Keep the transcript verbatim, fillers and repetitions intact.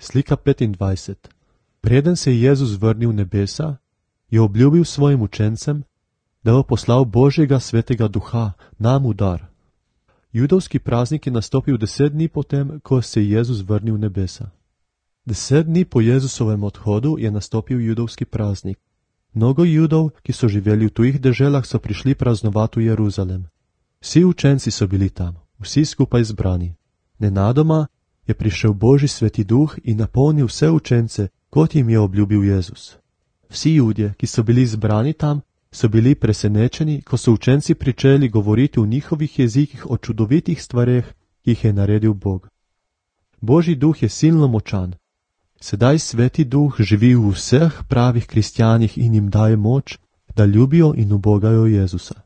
Slika petindvajset. Preden se je Jezus vrnil v nebesa, je obljubil svojim učencem, da bo poslal Božjega svetega duha nam v dar. Judovski praznik je nastopil deset dni potem, ko se je Jezus vrnil v nebesa. Deset dni po Jezusovem odhodu je nastopil judovski praznik. Mnogo Judov, ki so živeli v tujih deželah, so prišli praznovati v Jeruzalem. Vsi učenci so bili tam, vsi skupaj zbrani. Nenadoma je prišel Božji sveti duh in napolnil vse učence, kot jim je obljubil Jezus. Vsi Judje, ki so bili zbrani tam, so bili presenečeni, ko so učenci pričeli govoriti v njihovih jezikih o čudovitih stvareh, ki jih je naredil Bog. Božji duh je silno močan. Sedaj sveti duh živi v vseh pravih kristjanih in jim daje moč, da ljubijo in ubogajo Jezusa.